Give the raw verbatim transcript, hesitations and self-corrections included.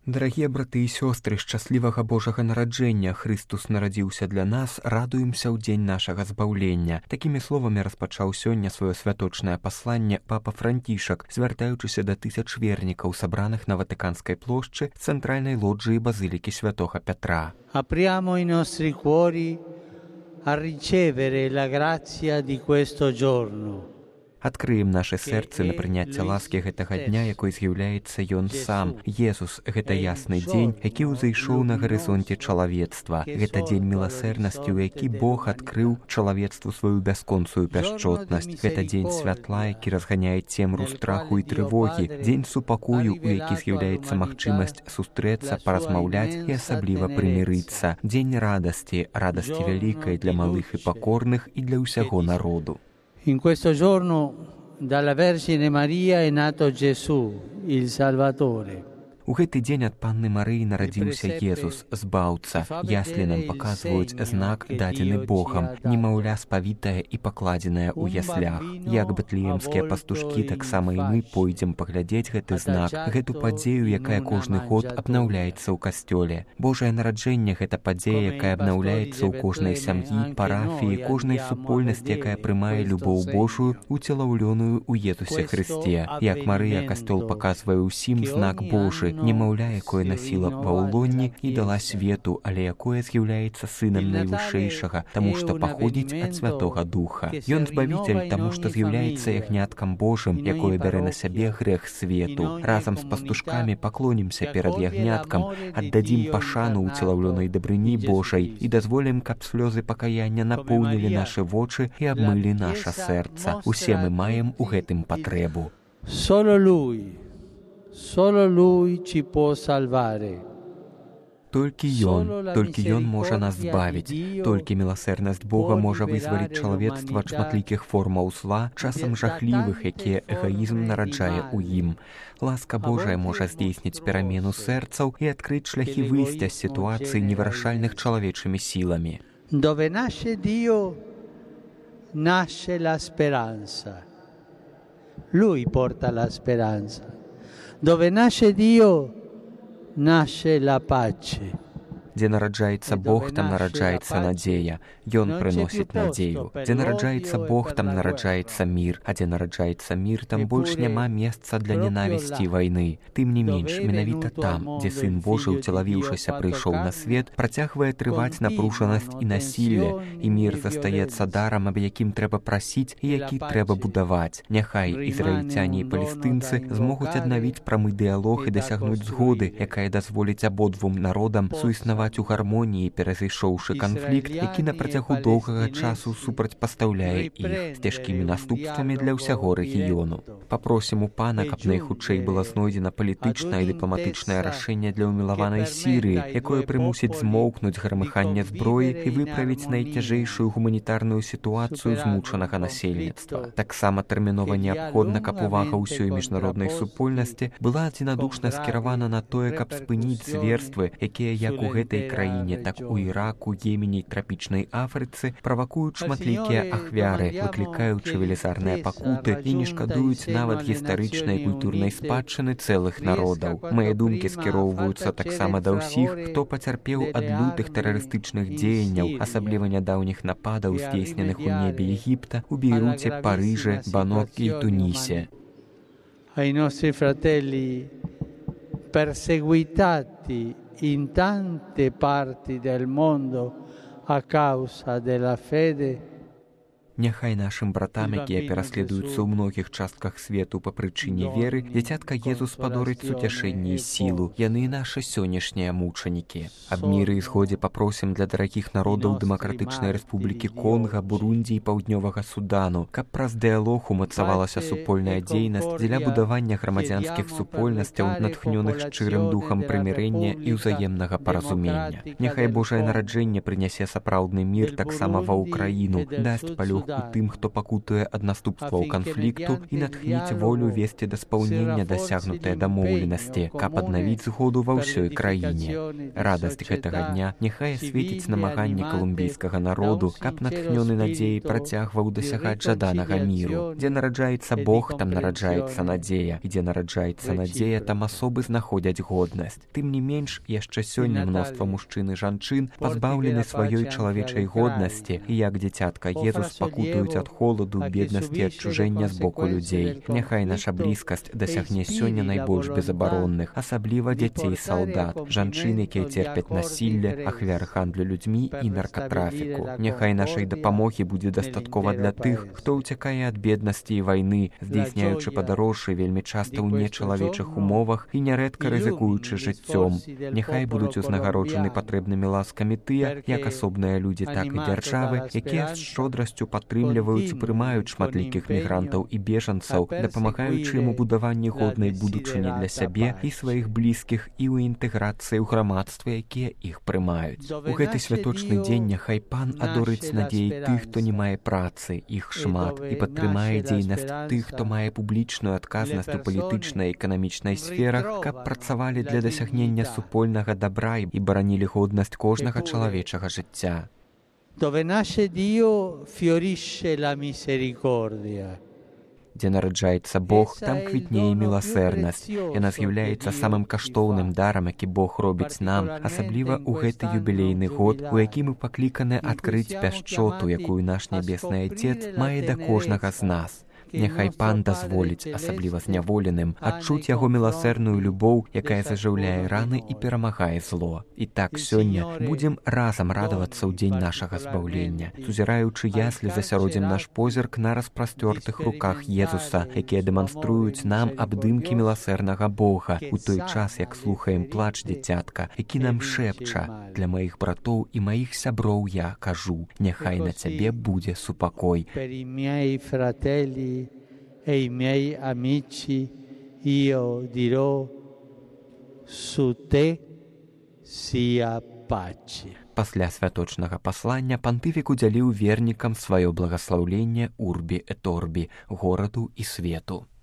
Дарагія браты і сёстры, шчаслівага Божага нараджэння, Хрыстус нарадзіўся для нас, радуемся ў дзень нашага збаўлення. Такімі словамі распачаў сёння сваё святочнае пасланне папа Францішак, звяртаючыся да тысяч вернікаў, сабраных на Ватыканскай плошчы цэнтральнай лоджыі базылікі святога Пятра. Apriamo i nostri cuori a ricevere la grazia di questo giorno. Адкрыем нашы сэрцы на прыняцце ласкі гэтага дня, якой з'яўляецца Ён сам. Езус — гэта ясны дзень, які ўзышоў на гарызонце чалавецтва. Гэта дзень міласэрнасці, у які Бог адкрыў чалавецтву сваю бясконцую пяшчотнасць. Гэта дзень святла, які разганяе цемру страху і трывогі. Дзень супакою, у які з'яўляецца магчымасць сустрэцца, паразмаўляць і асабліва прымірыцца. Дзень радасці, радасці вялікай для малых і пакорных і для ўсяго народу. In questo giorno dalla Vergine Maria è nato Gesù, il Salvatore. У гэты дзень ад Панны Марыі нарадзіўся Езус, збаўца. Яслі нам паказваюць знак, дадзены Богам, немаўля спавітае і пакладзенае ў яслях. Як бэтлеемскія пастушкі, таксама і мы пойдзем паглядзець гэты знак, гэту падзею, якая кожны год абнаўляецца ў касцёле. Божае нараджэнне — гэта падзея, якая абнаўляецца ў кожнай сям'і, парафіі, кожнай супольнасці, якая прымае любоў Божую, уцелаўлёную ў Езусе Хрысце. Як Марыя, касцёл паказвае ўсім знак Божы, немаўля, якое насіла ва ўлонні і дала свету, але якое з'яўляецца сынам найвышэйшага, таму што паходзіць ад Святога Духа. Ён збавіцель, таму што з'яўляецца ягняткам Божым, якое бярэ на сябе грэх свету. Разам з пастушкамі паклонімся перад ягняткам, аддадзім пашану ўцелаўлёнай дабрыні Божай і дазволім, каб слёзы пакаяння напоўнілі нашы вочы і абмылі наша сэрца. Усе мы маем у гэтым патрэбу. Solo Lui Solo Lui ci può salvare. Толькі Ён, толькі Ён можа нас збавіць. Толькі міласэрнасць Бога можа вызваліць чалавецтва ад шматлікіх формаў зла, часам жахлівых, якія эгаізм нараджае ў ім. Ласка Божая можа здзейсніць перамену сэрцаў і адкрыць шляхі выйсця з сітуацыі невырашальных чалавечымі сіламі. Dove nasce Dio, nasce la speranza. Lui porta la speranza. Dove nasce Dio, nasce la pace. Дзе нараджаецца Бог, там нараджаецца надзея. Ён прыносіць надзею. Дзе нараджаецца Бог, там нараджаецца мір. А дзе нараджаецца мір, там больш няма месца для ненавісці і вайны. Тым не менш, менавіта там, дзе Сын Божы, уцелавіўшыся, прыйшоў на свет, працягвае трываць напружанасць і насілле, і мір застаецца дарам, аб якім трэба прасіць і які трэба будаваць. Няхай ізраільцяне і палестынцы змогуць аднавіць прамы дыялог і дасягнуць згоды, якая дазволіць абодвум народам суіснаваць у гармоніі, перазышоўшы канфлікт, які на працягу доўгага часу супрацьпастаўляе іх, з цяжкімі наступствамі для ўсяго рэгіёну. Папросім у Пана, каб найхутчэй была знойдзена палітычнае і дыпламатычнае рашэнне для ўмілаванай Сірыі, якое прымусіць змоўкнуць грамыханне зброі і выправіць найцяжэйшую гуманітарную сітуацыю змучанага насельніцтва. Таксама тэрмінова неабходна, каб увага ўсёй міжнароднай супольнасці была адзінадушна скіравана на тое, каб спыніць зверствы, якія як у гэтай краіне, так у Іраку, Йемене і трапічнай Афрыцы правакуюць шматлікія ахвяры, выклікаючы велізарныя пакуты і не шкадуюць нават гістарычнай культурнай спадчыны цэлых народаў. Мае думкі скіроўваюцца таксама да ўсіх, хто пацярпеў ад лютых тэрарыстычных дзеянняў, асабліва нядаўніх нападаў, здзейсненых у небе Егіпта, у Бейруце, Парыжы, Банокі і Тунісе. Ai nostri fratelli perseguitati in tante parti del mondo a causa della fede. Няхай нашым братам, якія пераследуюцца ў многіх частках свету па прычыне веры, дзіцятка Езус падорыць суцяшэнне і сілу. Яны нашы сённяшнія мучанікі. Аб міры і згодзе папросім для дарагіх народаў Дэмакратычнай Рэспублікі Конга, Бурунді і Паўднёвага Судану, каб праз дыялог умацавалася супольная дзейнасць дзеля будавання грамадзянскіх супольнасцяў, натхнёных шчырым духам прымірэння і ўзаемнага паразумення. Няхай Божае нараджэнне прынясе сапраўдны мір таксама ва Ўкраіну, дасць палёгу дапамог у тым, хто пакутуе ад наступстваў канфлікту, і натхніць волю весці да спаўнення дасягнутыя дамоўленасці, каб аднавіць згоду ва ўсёй краіне. Радасць гэтага дня няхай асветіць намаганне калумбійскага народу, каб натхнёны надзеяй працягваў дасягаць жаданага міру. Дзе нараджаецца Бог, там нараджаецца надзея, і дзе нараджаецца надзея, там асобы знаходзяць годнасць. Тым не менш, яшчэ сёння мноства мужчын і жанчын пазбаўлены сваёй чалавечай годнасці і як дзіцятка Езус пакутуюць ад холаду, беднасці і адчужэння з боку людзей. Няхай наша блізкасць дасягне сёння найбольш безабаронных, асабліва дзяцей салдат, жанчын, якія церпяць насілле, ахвяры гандлю людзьмі і наркатрафіку. Няхай нашай дапамогі будзе дастаткова для тых, хто ўцякае ад беднасці і вайны, здзейсняючы падарожжы вельмі часта ў нечалавечых умовах і нярэдка рызыкуючы жыццём. Няхай будуць узнагароджаны патрэбнымі ласкамі тыя, як асобныя людзі, так і дзяржавы, якія з шчодрасцю падтрымліваюць і прымаюць шматлікіх мігрантаў і бежанцаў, дапамагаючы ім у будаванні годнай будучыні для сябе і сваіх блізкіх і ў інтэграцыі ў грамадстве, якія іх прымаюць. У гэты святочны дзень няхай Пан адорыць надзеі тых, хто не мае працы, іх шмат, і падтрымае дзейнасць тых, хто мае публічную адказнасць у палітычнай і эканамічнай сферах, каб працавалі для дасягнення супольнага добра і баранілі годнасць кожнага чалавечага жыцця. Dove nasce Dio fiorisce la misericordia. Дзе нараджаецца Бог, там квітнее міласэрнасць. Яна з'яўляецца самым каштоўным дарам, які Бог робіць нам, асабліва ў гэты юбілейны год, у які мы пакліканы адкрыць пяшчоту, якую наш нябесны Айцец мае да кожнага з нас. Няхай Пан дазволіць, асабліва зняволеным, адчуць яго міласэрную любоў, якая зажыўляе раны і перамагае зло. І так сёння будзем разам радавацца ў дзень нашага збаўлення, сузіраючы яслі засяродзім наш позірк на распрасцёртых руках Езуса, якія дэманструюць нам абдымкі міласэрнага Бога, у той час, як слухаем плач дзіцятка, які нам шэпча: «Для маіх братоў і маіх сяброў я кажу, няхай на цябе будзе супакой». E i miei amici io dirò: su te sia pace. Пасля святочнага паслання пантыфік удзяліў вернікам сваё благаслаўленне урбі et orbi, гораду і свету.